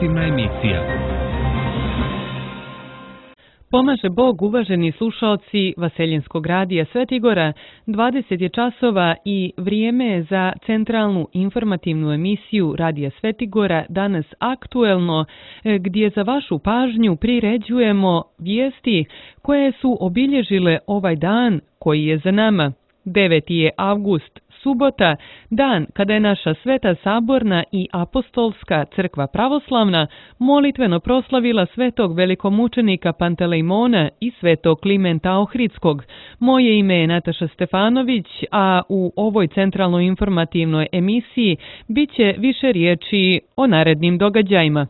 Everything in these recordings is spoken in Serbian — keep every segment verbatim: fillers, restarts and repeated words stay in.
informativna emisija. Pomaže Bog, uvaženi slušalci Vaseljenskog radija Svetigora, dvadeset je časova i vrijeme je za centralnu informativnu emisiju Radija Svetigora, danas aktuelno, gdje za vašu pažnju priređujemo vijesti koje su obilježile ovaj dan koji je za nama. deveti je avgust, subota, dan kada je naša Sveta Saborna i Apostolska crkva pravoslavna molitveno proslavila svetog velikomučenika Pantelejmona i svetog Klimenta Ohridskog. Moje ime je Nataša Stefanović, a u ovoj centralnoj informativnoj emisiji bit će više riječi o narednim događajima.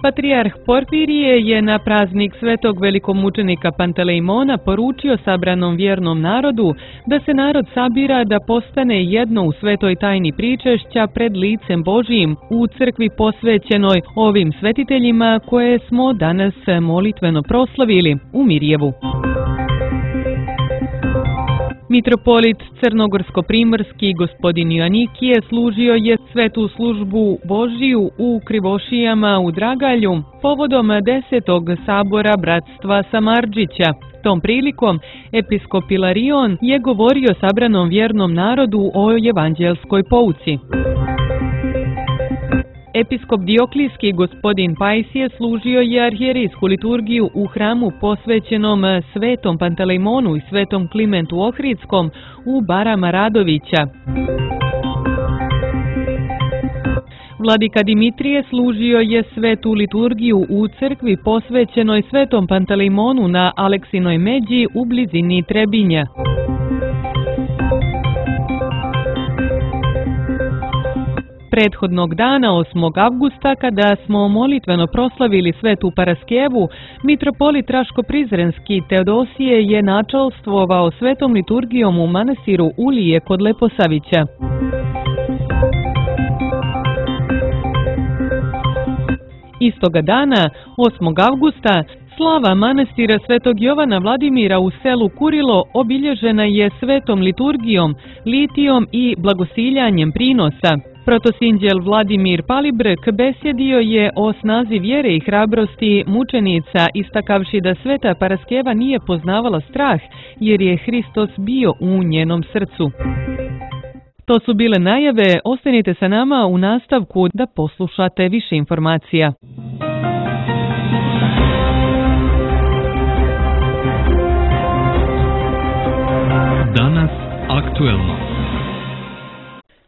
Patrijarh Porfirije je na praznik svetog velikomučenika Pantelejmona poručio sabranom vjernom narodu da se narod sabira da postane jedno u svetoj tajni pričešća pred licem Božijim u crkvi posvećenoj ovim svetiteljima koje smo danas molitveno proslavili u Mirjevu. Mitropolit Crnogorsko-primorski gospodin Joanikije služio je svetu službu Božiju u Krivošijama u Dragalju povodom desetog sabora bratstva Samardžića. Tom prilikom episkop Ilarion je govorio sabranom vjernom narodu o evanđelskoj pouci. Episkop Dioklijski gospodin Pajsije služio je arhijerijsku liturgiju u hramu posvećenom svetom Pantelejmonu i svetom Klimentu Ohridskom u Barama Radovića. Vladika Dimitrije služio je svetu liturgiju u crkvi posvećenoj svetom Pantelejmonu na Aleksinoj međi u blizini Trebinja. Prethodnog dana, osmog avgusta, kada smo molitveno proslavili svetu Paraskevu, mitropolit Raško-Prizrenski Teodosije je načalstvovao svetom liturgijom u manastiru Ulije kod Leposavića. Istoga dana, osmog avgusta, slava manastira svetog Jovana Vladimira u selu Kurilo obilježena je svetom liturgijom, litijom i blagosiljanjem prinosa. Protosinđel Vladimir Palibrk besjedio je o snazi vjere i hrabrosti mučenica, istakavši da sveta Paraskeva nije poznavala strah, jer je Hristos bio u njenom srcu. To su bile najave, ostanite sa nama u nastavku da poslušate više informacija. Danas aktuelno.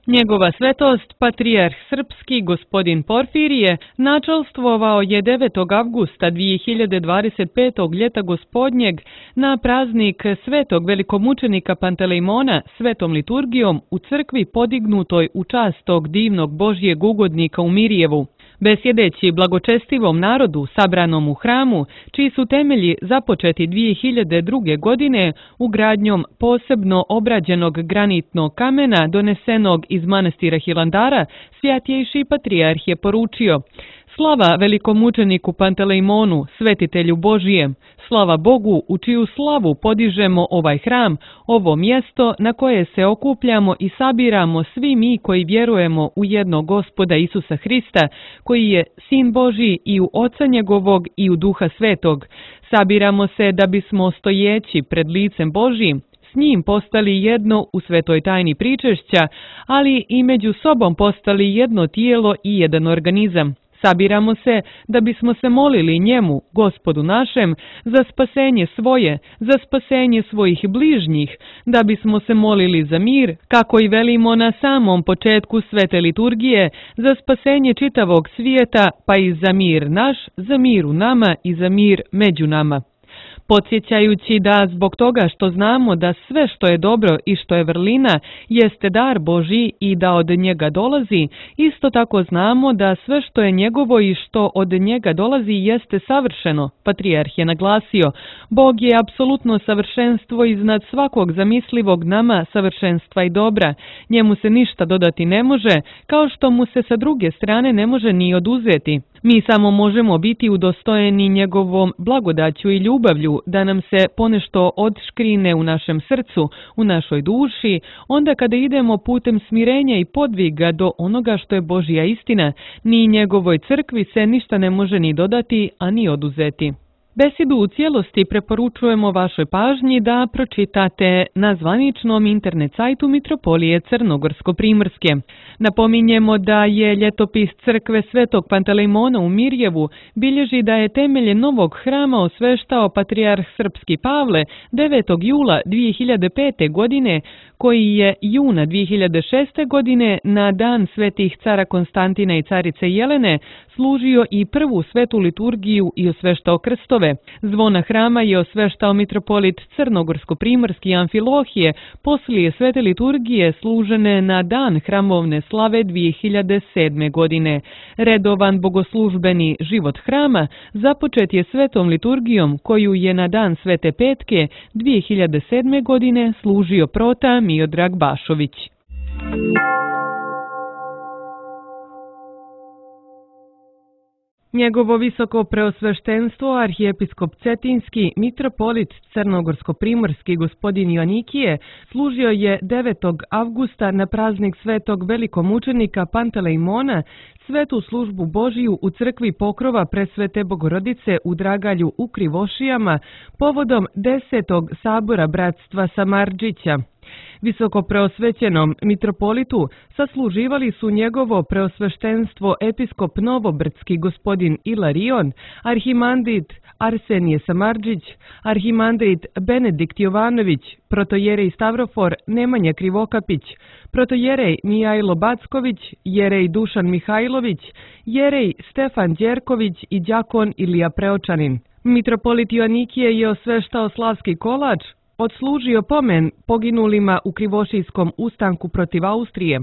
Njegova svetost, patrijarh srpski gospodin Porfirije, načalstvovao je devetog avgusta dvije hiljade dvadeset petog ljeta gospodnjeg na praznik svetog velikomučenika Pantelejmona svetom liturgijom u crkvi podignutoj u čast tog divnog Božjeg ugodnika u Mirjevu. Besjedeći blagočestivom narodu sabranom u hramu, čiji su temelji započeti dvije hiljade druge. godine ugradnjom posebno obrađenog granitnog kamena donesenog iz manastira Hilandara, svjatjejši patrijarh je poručio: slava velikomučeniku Pantelejmonu, svetitelju Božijem, slava Bogu u čiju slavu podižemo ovaj hram, ovo mjesto na koje se okupljamo i sabiramo svi mi koji vjerujemo u jednog Gospoda Isusa Hrista, koji je Sin Božji i u Oca njegovog i u Duha Svetog. Sabiramo se da bismo stojeći pred licem Božjim s njim postali jedno u svetoj tajni pričešća, ali i među sobom postali jedno tijelo i jedan organizam. Sabiramo se da bismo se molili njemu, Gospodu našem, za spasenje svoje, za spasenje svojih bližnjih, da bismo se molili za mir, kako i velimo na samom početku svete liturgije, za spasenje čitavog svijeta, pa i za mir naš, za mir u nama i za mir među nama. Podsjećajući da zbog toga što znamo da sve što je dobro i što je vrlina jeste dar Božji i da od njega dolazi, isto tako znamo da sve što je njegovo i što od njega dolazi jeste savršeno. Patrijarh je naglasio: Bog je apsolutno savršenstvo iznad svakog zamislivog nama savršenstva i dobra. Njemu se ništa dodati ne može, kao što mu se sa druge strane ne može ni oduzeti. Mi samo možemo biti udostojeni njegovom blagodaću i ljubavlju da nam se ponešto odškrine u našem srcu, u našoj duši, onda kada idemo putem smirenja i podviga do onoga što je Božja istina, ni njegovoj crkvi se ništa ne može ni dodati, a ni oduzeti. Besedu u cijelosti preporučujemo vašoj pažnji da pročitate na zvaničnom internet sajtu Mitropolije Crnogorsko-Primorske. Napominjemo da je ljetopis crkve Svetog Pantelejmona u Mirjevu bilježi da je temelje novog hrama osveštao patrijarh srpski Pavle devetog jula dvije hiljade pete. godine, koji je juna dvije hiljade šeste. godine na dan svetih cara Konstantina i carice Jelene služio i prvu svetu liturgiju i osveštao krstove. Zvona hrama je osveštao mitropolit Crnogorsko-Primorski Amfilohije poslije svete liturgije služene na dan hramovne slave dvije hiljade sedme. godine. Redovan bogoslužbeni život hrama započet je svetom liturgijom koju je na dan svete petke dvije hiljade sedme. godine služio prota Miodrag Bašović. Njegovo visoko preosveštenstvo, arhijepiskop Cetinski, mitropolit Crnogorsko-Primorski gospodin Joanikije, služio je devetog avgusta na praznik svetog velikomučenika Pantelejmona svetu službu Božiju u crkvi Pokrova Presvete Bogorodice u Dragalju u Krivošijama povodom desetog sabora bratstva Samardžića. Visoko preosvećenom mitropolitu sasluživali su njegovo preosveštenstvo episkop Novobrdski gospodin Ilarion, arhimandrit Arsenije Samardžić, arhimandrit Benedikt Jovanović, protojerej Stavrofor Nemanja Krivokapić, protojerej Mijajlo Backović, jerej Dušan Mihajlović, jerej Stefan Đerković i đakon Ilija Preočanin. Mitropolit Joanikije je osveštao slavski kolač, odslužio pomen poginulima u Krivošijskom ustanku protiv Austrije.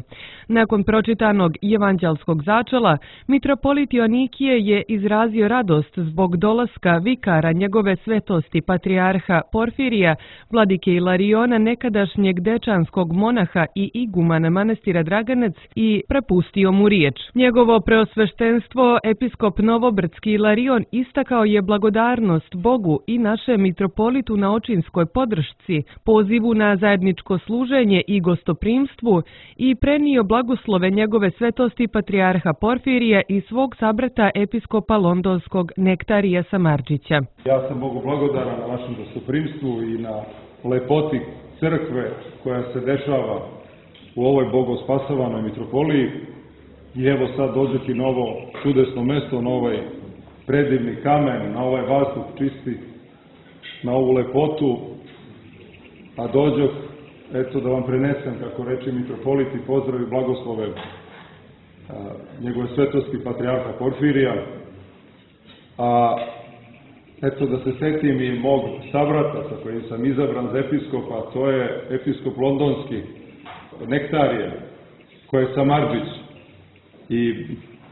Nakon pročitanog evanđelskog začela, mitropolit Joanikije je izrazio radost zbog dolaska vikara njegove svetosti patrijarha Porfirija, vladike Ilariona, nekadašnjeg dečanskog monaha i igumana manastira Draganac, i prepustio mu riječ. Njegovo preosveštenstvo, episkop Novobrdski Ilarion, istakao je blagodarnost Bogu i našem mitropolitu na očinskoj podršci, pozivu na zajedničko služenje i gostoprimstvu i prenio blagoslove njegove svetosti patrijarha Porfirija i svog sabrata episkopa londonskog Nektarija Samardžića. Ja sam Bogu blagodaran na vašem gostoprimstvu i na lepoti crkve koja se dešava u ovoj bogospasavanoj mitropoliji. I evo sad dođeti na ovo čudesno mesto, na ovaj predivni kamen, na ovaj vazduh čisti, na ovu lepotu. A dođoh, eto, da vam prenesem, kako reče mitropolit, i pozdrav i blagoslove a, njegove svetosti patrijarha Porfirija. A eto, da se setim i mog sabrata sa kojim sam izabran za episkopa, to je episkop londonski Nektarije, koji je Samardžić. I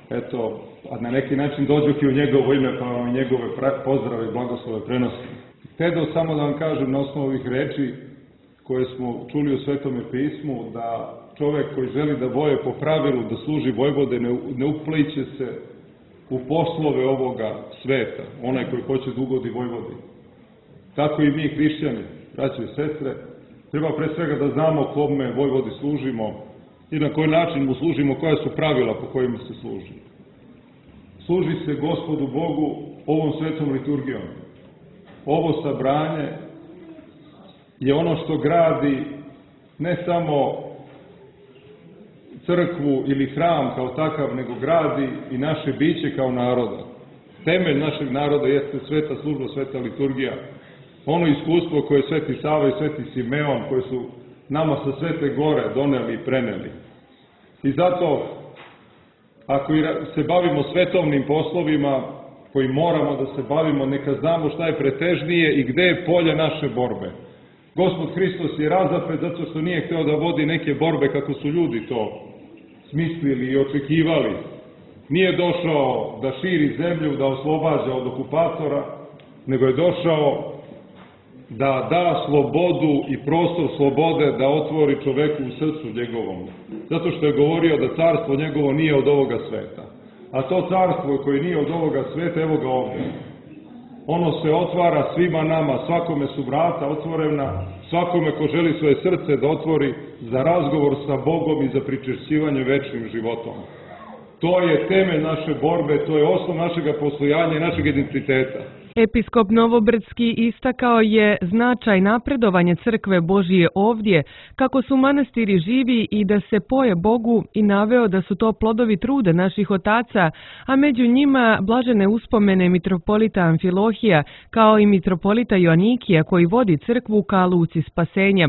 eto, a na neki način dođoh i u njegovo ime, pa vam njegove pozdrave i blagoslove prenosim. Htio samo da vam kažem na osnovu ovih reči koje smo čuli u Svetome pismu, da čovek koji želi da boje po pravilu, da služi Vojvode, ne, ne upliće se u poslove ovoga sveta, onaj koji hoće da ugodi Vojvodi. Tako i mi, hrišćani, braće i sestre, treba pre svega da znamo kome Vojvodi služimo i na koji način mu služimo, koja su pravila po kojima se služi. Služi se Gospodu Bogu ovom svetom liturgijom. Ovo sabranje je ono što gradi ne samo crkvu ili hram kao takav, nego gradi i naše biće kao naroda. Temelj našeg naroda jeste sveta služba, sveta liturgija. Ono iskustvo koje je Sveti Sava i Sveti Simeon, koje su nama sa Svete Gore doneli i preneli. I zato, ako se bavimo svetovnim poslovima, koji moramo da se bavimo, neka znamo šta je pretežnije i gde je polje naše borbe. Gospod Hristos je razapet zato što nije hteo da vodi neke borbe kako su ljudi to smislili i očekivali. Nije došao da širi zemlju, da oslobađa od okupatora, nego je došao da da slobodu i prostor slobode da otvori čoveku u srcu njegovom. Zato što je govorio da carstvo njegovo nije od ovoga sveta. A to carstvo koje nije od ovoga sveta, evo ga ovdje. Ono se otvara svima nama, svakome su vrata otvorena, svakome ko želi svoje srce da otvori za razgovor sa Bogom i za pričešćivanje večnim životom. To je temelj naše borbe, to je osnov našega postojanja i našeg identiteta. Episkop Novobrdski istakao je značaj napredovanja crkve Božije ovdje, kako su manastiri živi i da se poje Bogu, i naveo da su to plodovi truda naših otaca, a među njima blažene uspomene mitropolita Amfilohija, kao i mitropolita Joanikija koji vodi crkvu ka luci spasenja.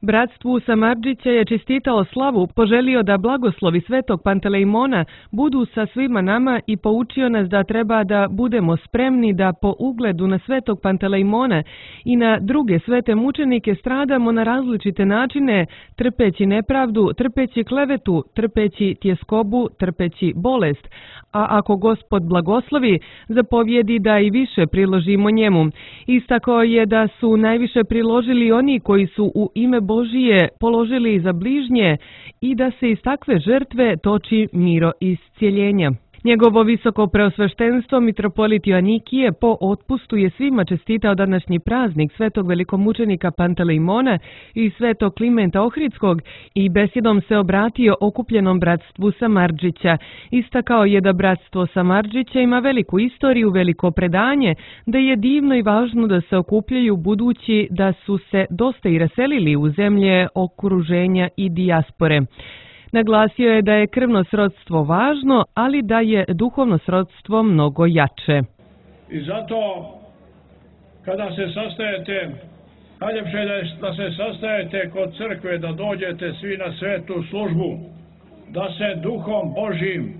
Bratstvu Samardžića je čestitao slavu, poželio da blagoslovi svetog Pantelejmona budu sa svima nama i poučio nas da treba da budemo spremni da po ugledu na svetog Pantelejmona i na druge svete mučenike stradamo na različite načine, trpeći nepravdu, trpeći klevetu, trpeći tjeskobu, trpeći bolest, a ako Gospod blagoslovi, zapovjedi da i više priložimo njemu. Istakao je da su najviše priložili oni koji su u ime Božije položili za bližnje i da se iz takve žrtve toči miro i iscijeljenja. Njegovo visoko preosveštenstvo mitropolit Joanikije po otpustu je svima čestitao današnji praznik svetog velikomučenika Pantelejmona i svetog Klimenta Ohridskog i besjedom se obratio okupljenom bratstvu Samardžića. Istakao je da bratstvo Samardžića ima veliku istoriju, veliko predanje, da je divno i važno da se okupljaju budući da su se dosta i raselili u zemlje okruženja i dijaspore. Naglasio je da je krvno srodstvo važno, ali da je duhovno srodstvo mnogo jače. I zato, kada se sastajete, najljepše je da se sastajete kod crkve, da dođete svi na svetu službu, da se duhom Božjim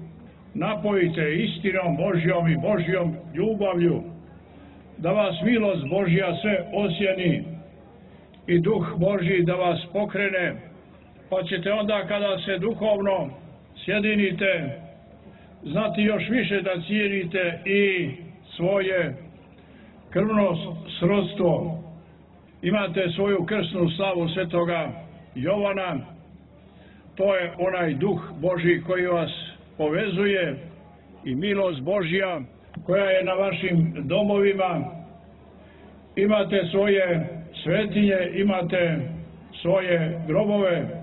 napojite, istinom Božjom i Božjom ljubavlju, da vas milost Božja sve osjeni i duh Božji da vas pokrene, pa ćete onda kada se duhovno sjedinite znati još više da cijenite i svoje krvno srodstvo. Imate svoju krsnu slavu svetoga Jovana, to je onaj duh Božji koji vas povezuje i milost Božja koja je na vašim domovima. Imate svoje svetinje, imate svoje grobove,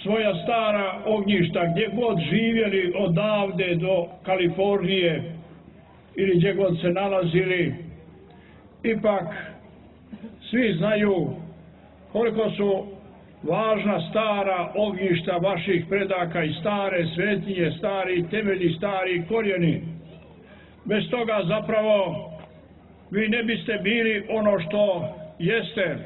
svoja stara ognjišta, gdje god živjeli odavde do Kalifornije ili gdje god se nalazili. Ipak svi znaju koliko su važna stara ognjišta vaših predaka i stare svetinje, stari temelji, stari korijeni. Bez toga zapravo vi ne biste bili ono što jeste.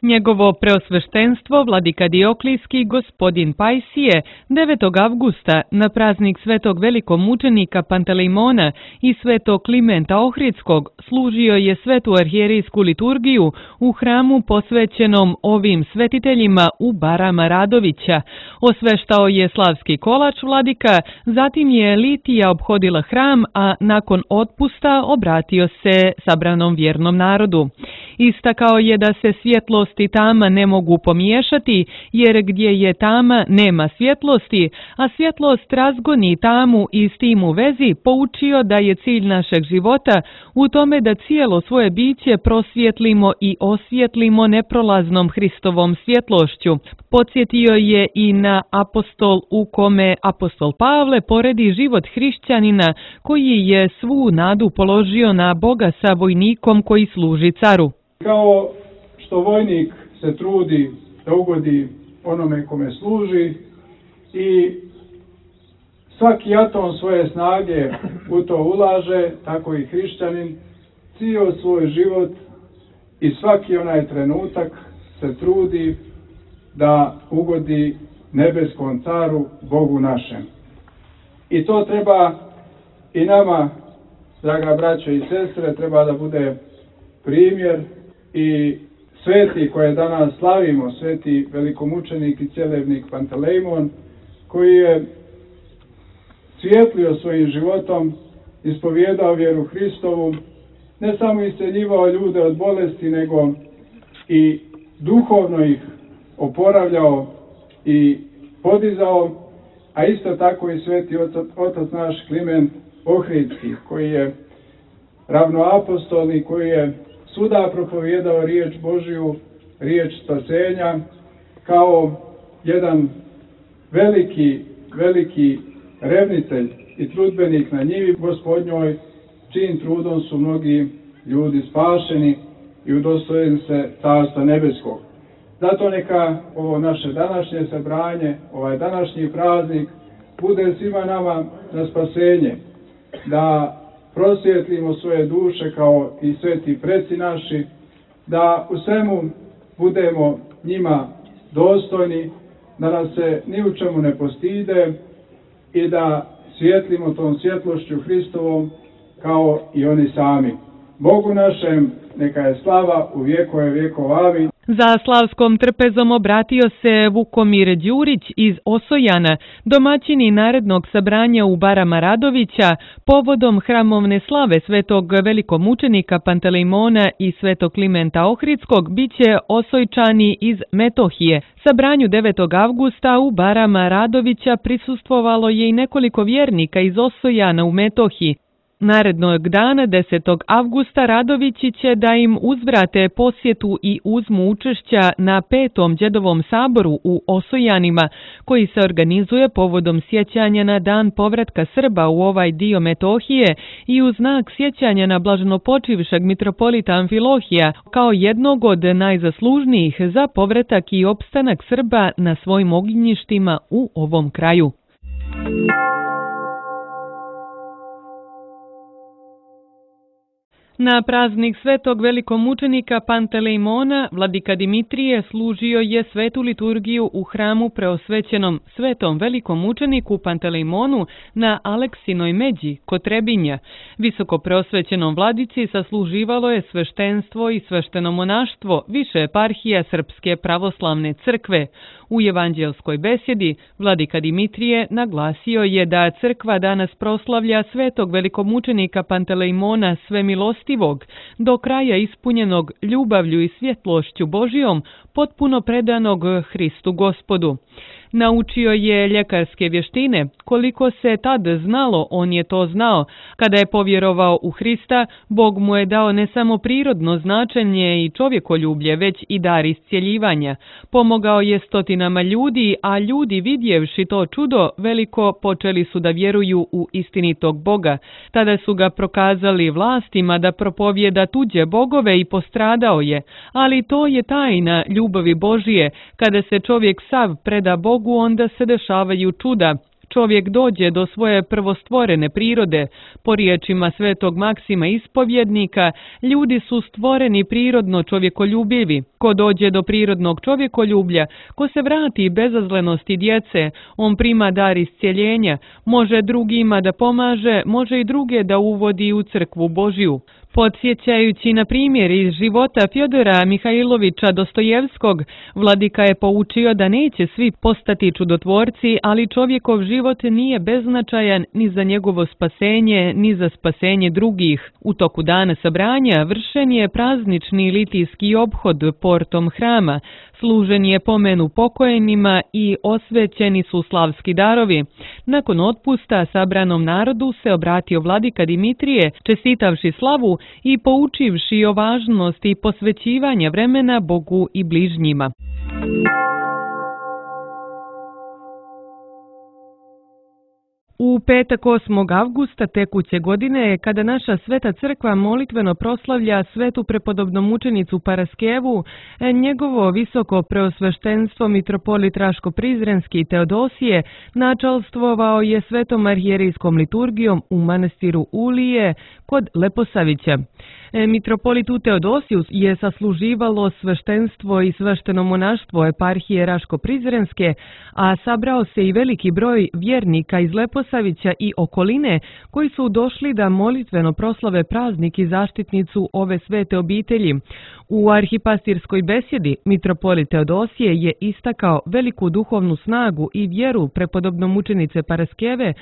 Njegovo preosveštenstvo vladika Dioklijski gospodin Pajsije devetog avgusta na praznik svetog velikomučenika Pantelejmona i svetog Klimenta Ohridskog služio je svetu arhijerijsku liturgiju u hramu posvećenom ovim svetiteljima u Barama Radovića. Osveštao je slavski kolač vladika, zatim je litija obhodila hram, a nakon otpusta obratio se sabranom vjernom narodu. Istakao je da se svjetlost i tama ne mogu pomiješati, jer gdje je tama nema svjetlosti, a svjetlost razgoni tamu i s tim u vezi poučio da je cilj našeg života u tome da cijelo svoje biće prosvjetlimo i osvjetlimo neprolaznom Hristovom svjetlošću. Podsjetio je i na apostol u kome apostol Pavle poredi život hrišćanina koji je svu nadu položio na Boga sa vojnikom koji služi caru. Kao što vojnik se trudi da ugodi onome kome služi i svaki atom svoje snage u to ulaže, tako i hrišćanin cijel svoj život i svaki onaj trenutak se trudi da ugodi nebeskom caru, Bogu našem. I to treba i nama, draga braćo i sestre, treba da bude primjer. I sveti koje danas slavimo, sveti velikomučenik i cjelevnik Pantelejmon, koji je svijetlio svojim životom, ispovjedao vjeru Hristovu, ne samo isceljivao ljude od bolesti, nego i duhovno ih oporavljao i podizao, a isto tako i sveti otac, otac naš Kliment Ohridski, koji je ravnoapostolni, koji je svuda propovijedao riječ Božju, riječ spasenja, kao jedan veliki, veliki revnitelj i trudbenik na njivi Gospodnjoj, čijim trudom su mnogi ljudi spašeni i udostojeni se Carstva nebeskog. Zato neka ovo naše današnje sabranje, ovaj današnji praznik, bude svima nama na spasenje, da prosvjetlimo svoje duše kao i sveti preci naši, da u svemu budemo njima dostojni, da nas se ni u čemu ne postide i da svjetlimo tom svjetlošću Hristovom kao i oni sami. Bogu našem neka je slava u vjekove vjekova. Amin. Za slavskom trpezom obratio se Vukomir Đurić iz Osojana, domaćini narednog sabranja u Barama Radovića, povodom hramovne slave svetog velikomučenika Pantelejmona i svetog Klimenta Ohridskog biće Osojčani iz Metohije. Sabranju devetog avgusta u Barama Radovića prisustvovalo je i nekoliko vjernika iz Osojana u Metohiji. Narednog dana, desetog avgusta, Radovići će da im uzvrate posjetu i uzmu učešća na petom Đedovom saboru u Osojanima, koji se organizuje povodom sjećanja na dan povratka Srba u ovaj dio Metohije i u znak sjećanja na blaženopočivšeg mitropolita Amfilohija kao jednog od najzaslužnijih za povratak i opstanak Srba na svojim ognjištima u ovom kraju. Na praznik svetog velikomučenika Pantelejmona, vladika Dimitrije služio je svetu liturgiju u hramu preosvećenom svetom velikomučeniku Pantelejmonu na Aleksinoj međi kod Trebinja. Visoko preosvećenom vladici sasluživalo je sveštenstvo i svešteno monaštvo više eparhija Srpske pravoslavne crkve. U evanđelskoj besjedi vladika Dimitrije naglasio je da crkva danas proslavlja svetog velikomučenika Pantelejmona svemilostivog, do kraja ispunjenog ljubavlju i svjetlošću Božijom, potpuno predanog Hristu Gospodu. Naučio je ljekarske vještine, koliko se tad znalo, on je to znao. Kada je povjerovao u Hrista, Bog mu je dao ne samo prirodno značenje i čovjekoljublje, već i dar iscjeljivanja. Pomogao je stotinama ljudi, a ljudi vidjevši to čudo veliko počeli su da vjeruju u istinitog Boga. Tada su ga prokazali vlastima da propovjeda tuđe bogove i postradao je, ali to je tajna ljubavi Božije. Kada se čovjek sav preda Bogu, onda se dešavaju čuda. Čovjek dođe do svoje prvostvorene prirode. Po riječima svetog Maksima ispovjednika, ljudi su stvoreni prirodno čovjekoljubivi. Ko dođe do prirodnog čovjekoljublja, ko se vrati bezazlenosti djece, on prima dar iscijeljenja, može drugima da pomaže, može i druge da uvodi u crkvu Božju. Podsjećajući na primjer iz života Fjodora Mihajlovića Dostojevskog, vladika je poučio da neće svi postati čudotvorci, ali čovjekov život nije beznačajan ni za njegovo spasenje, ni za spasenje drugih. U toku dana sabranja vršen je praznični litijski obhod portom hrama, služen je pomenu pokojnima i osvećeni su slavski darovi. Nakon otpusta sabranom narodu se obratio vladika Dimitrije, čestitavši slavu i poučivši o važnosti posvećivanja vremena Bogu i bližnjima. U petak osmog avgusta tekuće godine, kada naša sveta crkva molitveno proslavlja svetu prepodobnomučenicu Paraskevu, njegovo visoko preosveštenstvo mitropolit Raško-Prizrenski Teodosije načalstvovao je svetom arhijerijskom liturgijom u manastiru Ulije kod Leposavića. Mitropolitu Teodosiju je sasluživalo sveštenstvo i svešteno monaštvo eparhije Raško-Prizrenske, a sabrao se i veliki broj vjernika iz Leposavića i okoline koji su došli da molitveno proslave praznik i zaštitnicu ove svete obitelji. U arhipastirskoj besjedi mitropolit Teodosije je istakao veliku duhovnu snagu i vjeru prepodobnomučenice Paraskeve,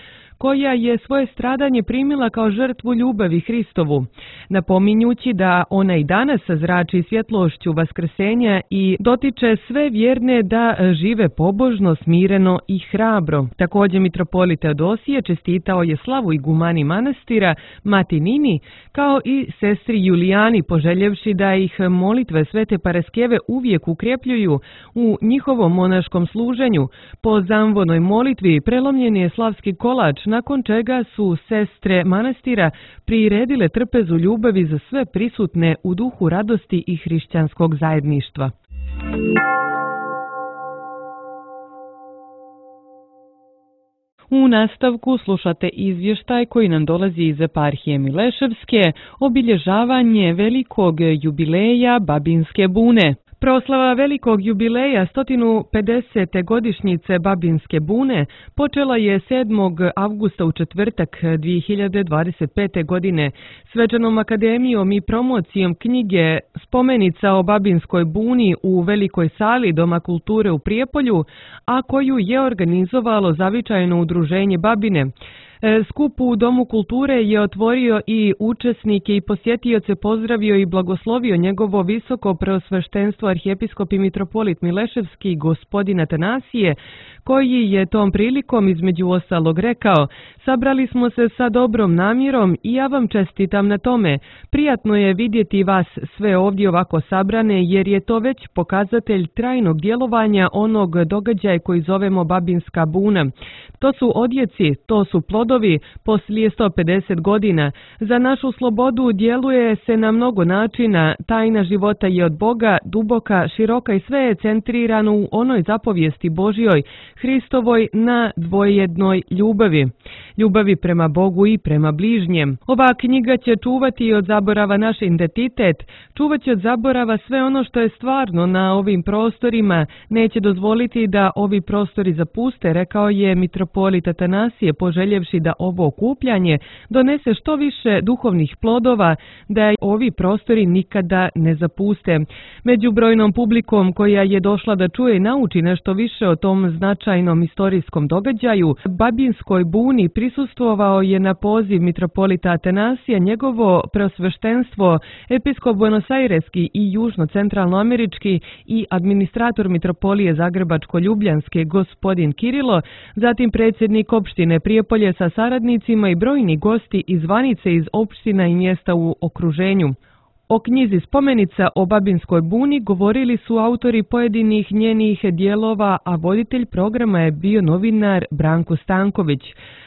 koja je svoje stradanje primila kao žrtvu ljubavi Hristovu, napominjući da ona i danas zrači svjetlošću vaskrsenja i dotiče sve vjerne da žive pobožno, smireno i hrabro. Također mitropolit Teodosije čestitao je slavu igumani manastira Mati Nini, kao i sestri Julijani, poželjevši da ih molitve Svete Paraskeve uvijek ukrepljuju u njihovom monaškom služenju. Po zamvonoj molitvi prelomljen je slavski kolač, nakon čega su sestre manastira priredile trpezu ljubavi za sve prisutne u duhu radosti i hrišćanskog zajedništva. U nastavku slušate izvještaj koji nam dolazi iz eparhije Mileševske, obilježavanje velikog jubileja Babinske bune. Proslava velikog jubileja sto pedesete godišnjice Babinske bune počela je sedmog avgusta u četvrtak dvije hiljade dvadeset pete. godine svečanom akademijom i promocijom knjige Spomenica o Babinskoj buni u Velikoj sali Doma kulture u Prijepolju, a koju je organizovalo zavičajno udruženje Babine. Skup u Domu kulture je otvorio i učesnike i posjetioce pozdravio i blagoslovio njegovo visoko preosveštenstvo arhijepiskop i mitropolit Mileševski gospodin Atanasije, koji je tom prilikom između ostalog rekao: sabrali smo se sa dobrom namjerom i ja vam čestitam na tome. Prijatno je vidjeti vas sve ovdje ovako sabrane, jer je to već pokazatelj trajnog djelovanja onog događaja koji zovemo Babinska buna. To su odjeci, to su plodovi poslije sto pedeset godina. Za našu slobodu djeluje se na mnogo načina. Tajna života je od Boga, duboka, široka i sve je centrirano u onoj zapovijesti Božjoj, Hristovoj, na dvojednoj ljubavi. Ljubavi prema Bogu i prema bližnjem. Ova knjiga će čuvati od zaborava naš identitet, čuvat će od zaborava sve ono što je stvarno na ovim prostorima, neće dozvoliti da ovi prostori zapuste, rekao je mitropolit Atanasije, poželjevši da ovo okupljanje donese što više duhovnih plodova, da ovi prostori nikada ne zapuste. Među brojnom publikom koja je došla da čuje i nauči nešto više o tom značajnom istorijskom događaju, Babinskoj buni prisustvovao je na poziv mitropolita Atanasija njegovo preosveštenstvo, episkop buenosaireski i južno-centralnoamerički i administrator mitropolije Zagrebačko-Ljubljanske gospodin Kirilo, zatim predsjednik opštine Prijepolje sa saradnicima i brojni gosti iz zvanice iz opština i mjesta u okruženju. O knjizi Spomenica o Babinskoj buni govorili su autori pojedinih njenih dijelova, a voditelj programa je bio novinar Branko Stanković.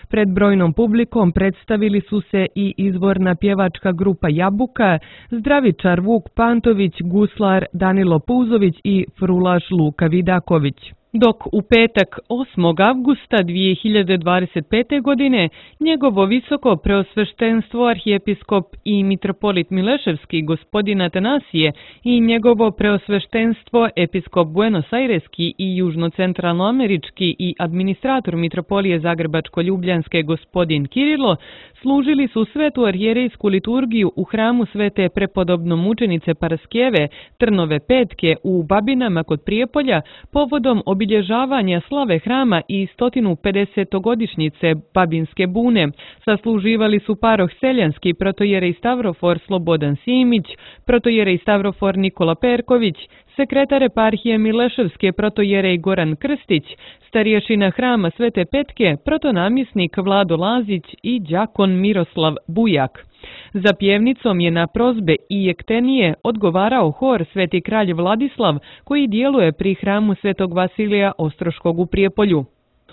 Pred brojnom publikom predstavili su se i izvorna pjevačka grupa Jabuka, zdravičar Vuk Pantović, guslar Danilo Puzović i frulaš Luka Vidaković. Dok u petak osmog avgusta dvije hiljade dvadeset pete. godine njegovo visoko preosveštenstvo arhijepiskop i mitropolit Mileševski gospodin Atanasije i njegovo preosveštenstvo episkop buenosaireski i južno-centralnoamerički i administrator mitropolije Zagrebačko-Ljubljanske gospodin Kirilo služili su svetu arhijerejsku liturgiju u hramu Svete prepodobno mučenice Paraskeve Trnove petke u Babinama kod Prijepolja povodom obilježavanja slave hrama i sto pedesetogodišnjice Babinske bune. Sasluživali su paroh Seljanski, protojerej Stavrofor Slobodan Simić, protojerej Stavrofor Nikola Perković, sekretar eparhije Mileševske protojerej Goran Krstić, starješina hrama Svete Petke, protonamjesnik Vlado Lazić i đakon Miroslav Bujak. Za pjevnicom je na prozbe i jektenije odgovarao hor Sveti kralj Vladislav, koji djeluje pri hramu Svetog Vasilija Ostroškog u Prijepolju.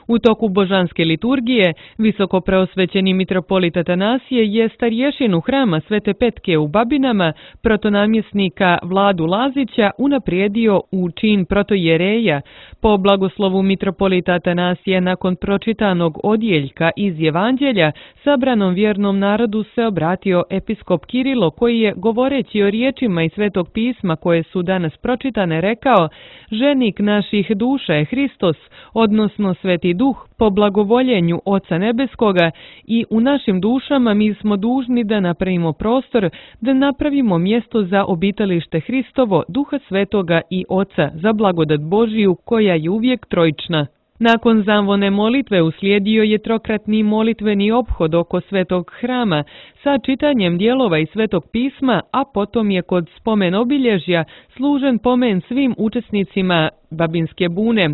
U toku božanske liturgije, visoko preosvećeni mitropolit Atanasije je starješinu hrama Svete Petke u Babinama, protonamjesnika Vladu Lazića, unaprijedio u čin protojereja. Po blagoslovu mitropolita Atanasije nakon pročitanog odjeljka iz Evanđelja, sabranom vjernom narodu se obratio episkop Kirilo, koji je, govoreći o riječima iz Svetog pisma koje su danas pročitane, rekao: ženik naših duša je Hristos, odnosno Sveti Duh, po blagovoljenju Oca Nebeskoga, i u našim dušama mi smo dužni da napravimo prostor, da napravimo mjesto za obitalište Hristovo, Duha Svetoga i Oca, za blagodat Božiju koja je uvijek trojična. Nakon zanvone molitve uslijedio je trokratni molitveni ophod oko svetog hrama sa čitanjem dijelova iz svetog pisma, a potom je kod spomen obilježja služen pomen svim učesnicima Babinske bune.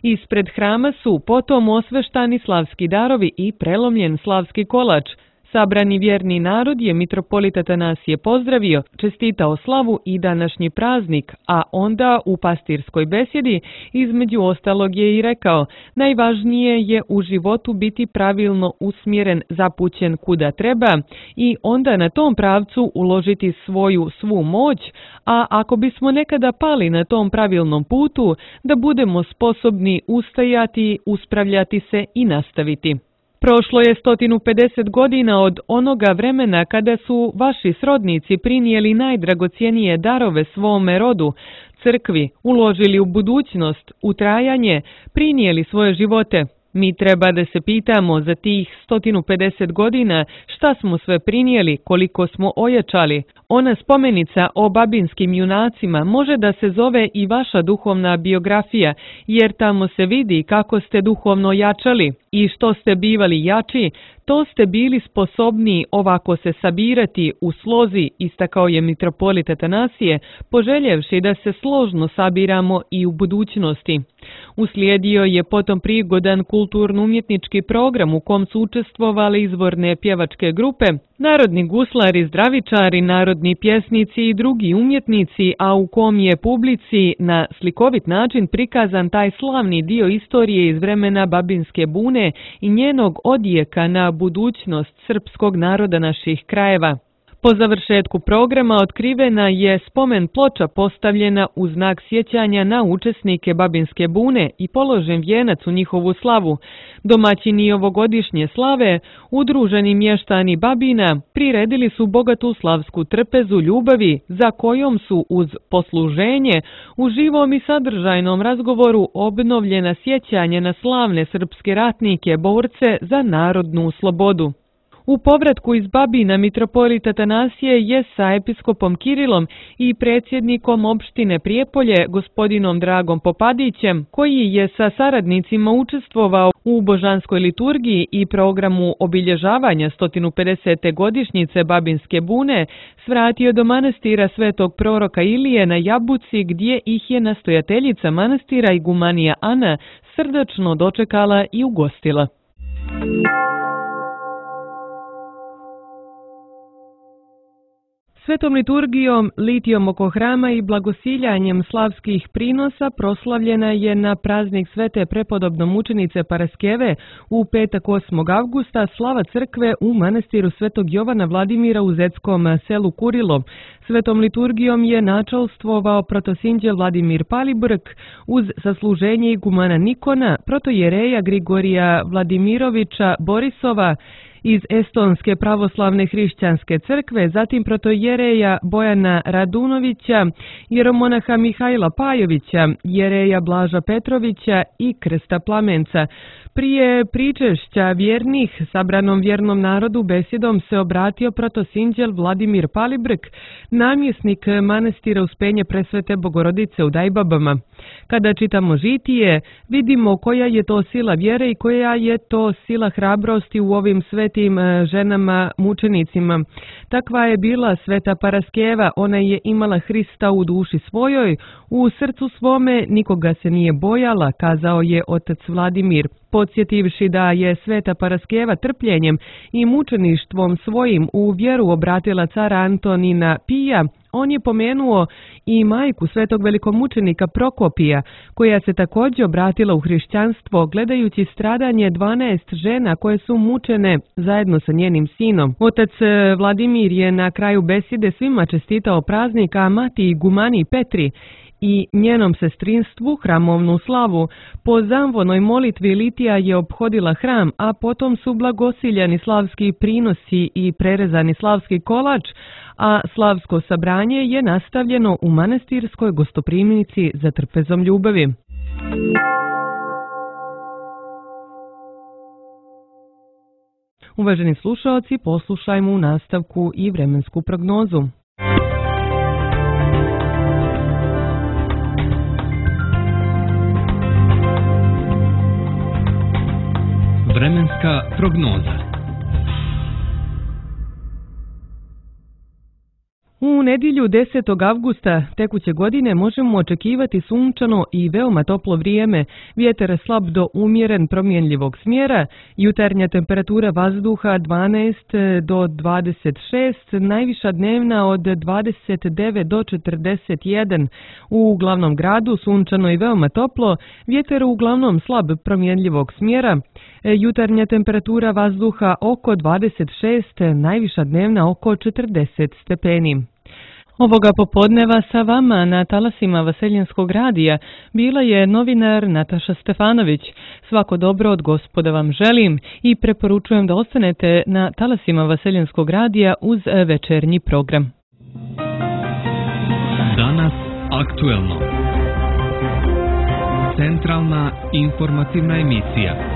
Ispred hrama su potom osveštani slavski darovi i prelomljen slavski kolač. Sabrani vjerni narod je mitropolit Atanasije pozdravio, čestitao slavu i današnji praznik, a onda u pastirskoj besjedi između ostalog je i rekao: najvažnije je u životu biti pravilno usmjeren, zapućen kuda treba i onda na tom pravcu uložiti svoju svu moć, a ako bismo nekada pali na tom pravilnom putu, da budemo sposobni ustajati, uspravljati se i nastaviti. Prošlo je sto pedeset godina od onoga vremena kada su vaši srodnici prinijeli najdragocjenije darove svome rodu, crkvi, uložili u budućnost, u trajanje, prinijeli svoje živote. Mi treba da se pitamo za tih sto pedeset godina šta smo sve prinijeli, koliko smo ojačali. Ona spomenica o babinskim junacima može da se zove i vaša duhovna biografija, jer tamo se vidi kako ste duhovno jačali i što ste bivali jači, to ste bili sposobni ovako se sabirati u slozi, istakao je mitropolit Atanasije, poželjevši da se složno sabiramo i u budućnosti. Uslijedio je potom prigodan kulturno-umjetnički program u kom su učestvovali izvorne pjevačke grupe, narodni guslari, zdravičari, narodni pjesnici i drugi umjetnici, a u kom je publici na slikovit način prikazan taj slavni dio istorije iz vremena Babinske bune i njenog odjeka na budućnost srpskog naroda naših krajeva. Po završetku programa otkrivena je spomen ploča postavljena u znak sjećanja na učesnike Babinske bune i položen vijenac u njihovu slavu. Domaćini ovogodišnje slave, udruženi mještani Babina, priredili su bogatu slavsku trpezu ljubavi za kojom su uz posluženje u živom i sadržajnom razgovoru obnovljena sjećanja na slavne srpske ratnike, borce za narodnu slobodu. U povratku iz Babina mitropolit Atanasije je sa episkopom Kirilom i predsjednikom opštine Prijepolje, gospodinom Dragom Popadićem, koji je sa saradnicima učestvovao u božanskoj liturgiji i programu obilježavanja sto pedesete godišnjice Babinske bune, svratio do manastira svetog proroka Ilije na Jabuci, gdje ih je nastojateljica manastira igumanija Ana srdačno dočekala i ugostila. Svetom liturgijom, litijom oko hrama i blagosiljanjem slavskih prinosa proslavljena je na praznik svete prepodobno mučenice Paraskeve u petak osmog avgusta slava crkve u manastiru svetog Jovana Vladimira u zetskom selu Kurilo. Svetom liturgijom je načelstvovao protosinđel Vladimir Palibrk uz sasluženje igumana Nikona, protojereja Grigorija Vladimirovića Borisova iz Estonske pravoslavne hrišćanske crkve, zatim protojereja Bojana Radunovića, jeromonaha Mihajla Pajovića, jereja Blaža Petrovića i Krsta Plamenca. Prije pričešća vjernih sabranom vjernom narodu besjedom se obratio protosinđel Vladimir Palibrk, namjesnik manastira Uspenje Presvete Bogorodice u Dajbabama. Kada čitamo žitije, vidimo koja je to sila vjere i koja je to sila hrabrosti u ovim svetim ženama mučenicima. Takva je bila sveta Paraskeva, ona je imala Hrista u duši svojoj, u srcu svome nikoga se nije bojala, kazao je otac Vladimir. Podsjetivši da je sveta Paraskeva trpljenjem i mučeništvom svojim u vjeru obratila cara Antonina Pija, on je pomenuo i majku svetog velikomučenika Prokopija, koja se također obratila u hrišćanstvo gledajući stradanje dvanaest žena koje su mučene zajedno sa njenim sinom. Otac Vladimir je na kraju besjede svima čestitao praznik, a mati igumani Petri i njenom sestrinstvu hramovnu slavu. Po zamvonoj molitvi litija je ophodila hram, a potom su blagosiljani slavski prinosi i prerezani slavski kolač, a slavsko sabranje je nastavljeno u manastirskoj gostoprimnici za trpezom ljubavi. Uvaženi slušaoci, poslušajmo u nastavku i vremensku prognozu. Vremenska prognoza. U nedjelju desetog avgusta tekuće godine možemo očekivati sunčano i veoma toplo vrijeme, vjetar slab do umjeren promjenljivog smjera, jutarnja temperatura vazduha dvanaest do dvadeset šest, najviša dnevna od dvadeset devet do četrdeset jedan. U glavnom gradu sunčano i veoma toplo, vjetar uglavnom slab promjenljivog smjera, jutarnja temperatura vazduha oko dvadeset šest, najviša dnevna oko četrdeset stepeni. Ovoga popodneva sa vama na talasima Vaseljenskog radija bila je novinar Nataša Stefanović. Svako dobro od Gospoda vam želim i preporučujem da ostanete na talasima Vaseljenskog radija uz večernji program. Danas aktuelno. Centralna informativna emisija.